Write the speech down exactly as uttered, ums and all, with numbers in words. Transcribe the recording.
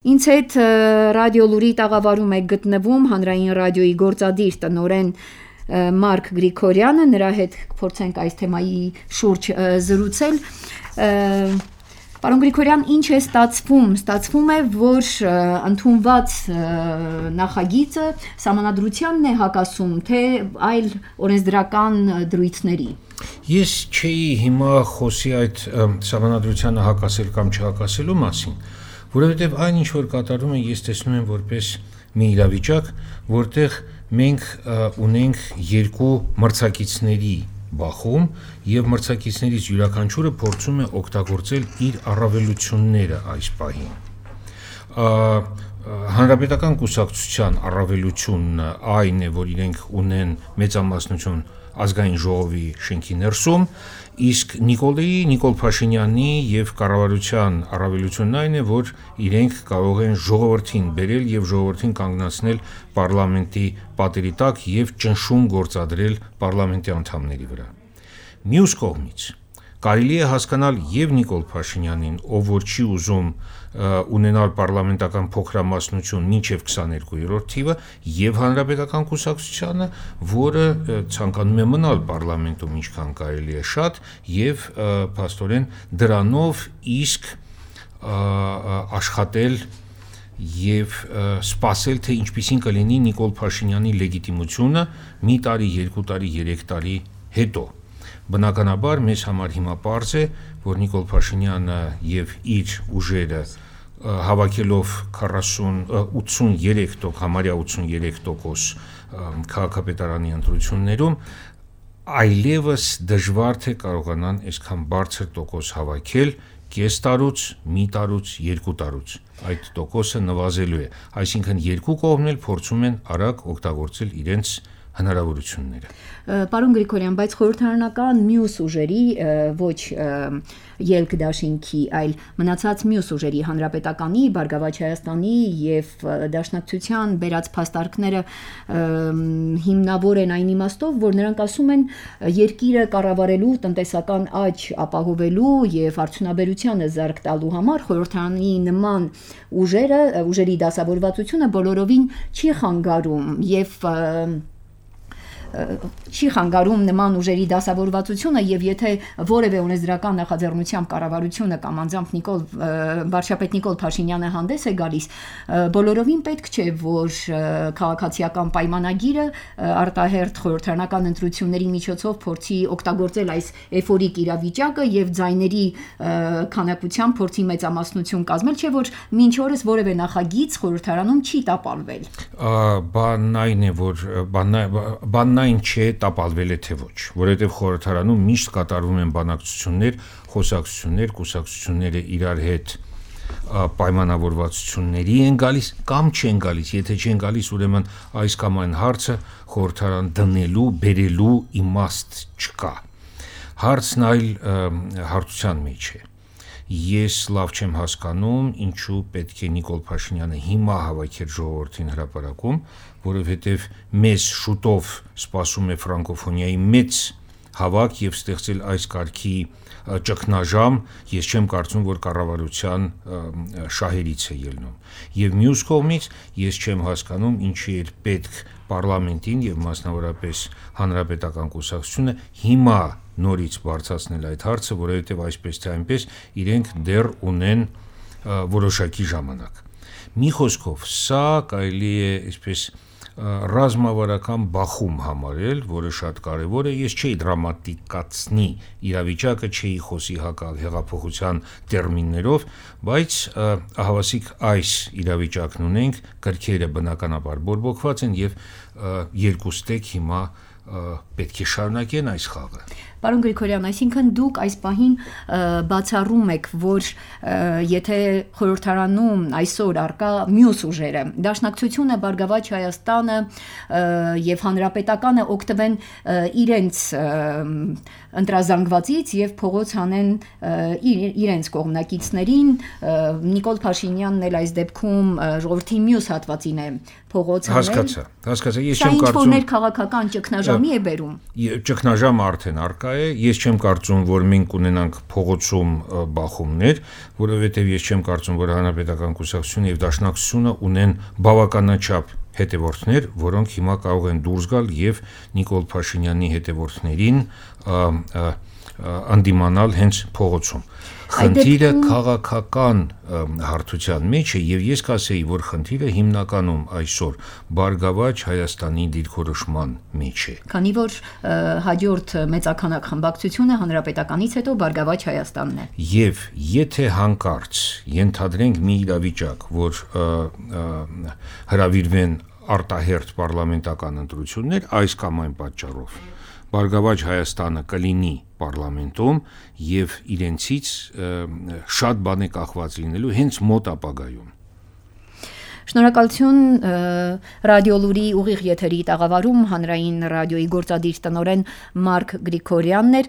Ինձ հետ ռադիո լուրի տաղավարում է գտնվում հանրային ռադիոյի գործադիր տնօրեն Մարկ Գրիգորյանը, նրա հետ փորձենք այս թեմայի շուրջ զրուցել։ Պարոն Գրիգորյան, ինչ է ստացվում։ Ստացվում է, որ ընդունված նախագիծը սահմանադրությանն է հակասում, թե այլ օրենսդրական դրույթների։ Ես չէի հիմա խոսի այդ սահմանադրությանը հակասել կամ չհակասելու մասին, որովհետև այն ինչ որ կատարում են, ես տեսնում եմ որպես մի իրավիճակ, որտեղ մենք ունենք երկու մրցակիցների բախում եւ մրցակիցներից յուրաքանչյուրը փորձում է օգտագործել իր առավելությունները այս պահին։ Հանրապետական կուսակցության առավելությունն այն է, որ իրենք ունեն մեծամասնություն ազգային ժողովի շենքի ներսում, իսկ Նիկոլեի, Նիկոլ Փաշինյանի եւ կառավարության առավելությունն այն է, որ իրենք կարող են ժողովրդին բերել եւ ժողովրդին կանգնացնել պարլամենտի պատերի տակ եւ ճնշում գործադրել պարլամենտի անդամների վրա։ Մյուս կողմից կարելի է հասկանալ եւ Նիկոլ Փաշինյանին, ով որ չի ուզում ունենալ պարլամենտական փոքրամասնություն մինչև քսաներկուերորդ թիվը, եւ հանրապետական կուսակցությանը, որը ցանկանում է մնալ պարլամենտում ինչքան կարելի է շատ եւ փաստորեն դրանով իսկ աշխատել եւ սպասել, թե ինչպիսին կլինի Նիկոլ Փաշինյանի լեգիտիմությունը մի տարի, երկու տարի, երեք տարի հետո։ Բնականաբար մեզ համար հիմա պարզ է, որ Նիկոլ Փաշինյանը եւ իր ուժերը հավաքելով քառասուն ութսուներեք տոկոս համարյա ութսուներեք տոկոս քաղաքապետարանի ընտրություններում այլևս դժվար թե կարողանան այսքան բարձր տոկոս հավաքել կես տարուց, մի տարուց, երկու տարուց։ Այդ տոկոսը նվազելու է, այսինքն երկու կողմն էլ փորձում են արագ օգտագործել իրենց հնարավորությունները։ Պարոն Գրիգորյան, բայց խորհրդարանական մյուս ուժերի, ոչ ելք դաշինքի, այլ մնացած մյուս ուժերի, հանրապետականի, Բարգավաճ Հայաստանի եւ Դաշնակցության բերած փաստարկները հիմնավոր են այն իմաստով, որ նրանք ասում են երկիրը կառավարելու, տնտեսական աճ ապահովելու եւ արդյունաբերությանը զարգ տալու համար խորհրդարանի նման ուժերը, ուժերի դասավորվածությունը բոլորովին չի խանգարում եւ չի խանգարում նման ուժերի դասավորվածությունը եւ եթե որևէ օրենսդրական նախաձեռնությամբ կառավարությունը կամ անձամբ Նիկոլ վարչապետ Նիկոլ Փաշինյանը հանդես է գալիս, բոլորովին պետք չէ, որ քաղաքացիական պայմանագիրը արտահերթ խորհրդարանական ընտրությունների միջոցով փորձի օգտագործել այս էֆորիկ իրավիճակը եւ ձայների քանակությամբ փորձի մեծամասնություն կազմել, չէ որ մինչ օրս որևէ նախագիծ խորհրդարանում չի տապալվել։ Բանն այն է, որ բանն այն չէ տապալվել է թե ոչ, որովհետև խորհրդարանում միշտ կատարվում են բանակցություններ, խոսակցություններ, կուսակցությունները իրար հետ պայմանավորվածությունների են գալիս կամ չեն գալիս, եթե չեն գալիս, ուրեմն այս կամ այն հարցը խորհրդարան դնելու, բերելու իմաստ չկա։ Հարցն այլ հարցության մեջ է։ Ես լավ չեմ հասկանում, ինչու պետք է Նիկոլ Փաշինյանը հիմա հավաքեր ժողովրդին հրապարակում, որովհետև մեզ շուտով սպասում է ֆրանկոֆոնիայի մեծ հավաք եւ ստեղծել այս կարգի ճգնաժամ, ես չեմ կարծում, որ կառավարության շահերից է ելնում։ Եվ մյուս կողմից ես չեմ հասկանում, ինչի է պետք պարլամենտին եւ մասնավորապես հանրապետական կուսակցությունը հիմա նորից բարձրացնել այդ հարցը, որովհետև այսպես թե այնպես իրենք դեռ ունեն որոշակի ժամանակ։ Մի խոսքով, սա կարելի է այսպես ռազմավարական բախում համարել, որը շատ կարևոր է, ես չէի դրամատիկացնի իրավիճակը, չէի խոսի հեղափոխության տերմիններով, բայց ահավասիկ այս իրավիճակն ունենք, կրքերը բնականաբար բորբոքված են եւ երկուստեք հիմա պետք է շարունակեն այս խաղը։ Պարոն Գրիգորյան, այսինքն դուք այս պահին բացառում եք, որ եթե խորհրդարանում այսօր արկա մյուս ուժերը, Դաշնակցությունը, Բարգավաճ Հայաստանը եւ Հանրապետականը օգտվեն իրենց ընտրազանգվածից եւ փողոց հանեն իրենց կողմնակիցներին, Նիկոլ Փաշինյանն էլ այս դեպքում ժողովրդի մյուս հատվածին է փողոց հանել։ Հասկացա, հասկացա, ես չեմ կարծում։ Սա ինչ-որ ներքաղաքական ճգնաժամի է բերում։ Ճգնաժամը արդեն արկա շնորհակա է, ես չեմ կարծում, որ մենք ունենանք փողոցում բախումներ, որովհետև ես չեմ կարծում, որ Հանրապետական կուսակցությունը եւ Դաշնակցությունը ունեն բավականաչափ հետևորդներ, որոնք հիմա կարող են դուրս գալ եւ Նիկոլ Փաշինյանի հետևորդներին անդիմանալ հենց փողոցում։ Խնդիրը քաղաքական հարթության մեջ է եւ ես կասեի, որ խնդիրը հիմնականում այսօր Բարգավաճ Հայաստանի դիրքորոշման մեջ է։ Քանի որ հաջորդ մեծաքանակ խմբակցությունը Հանրապետականից հետո Բարգավաճ Հայաստանն է։ Եվ եթե հանկարծ ենթադրենք մի իրավիճակ, որ հրավիրվեն արտահերթ պարլամենտական ընտրություններ, այս կամ այն պատճառով Բարգավաճ Հայաստանը կլինի պարլամենտում եւ իրենցից շատ բան է կախված լինելու հենց մոտ ապագայում։ Շնորհակալություն Ռադիոլուրի ուղիղ եթերի տաղավարում հանրային ռադիոյի գործադիր տնօրեն Մարկ Գրիգորյանն էր։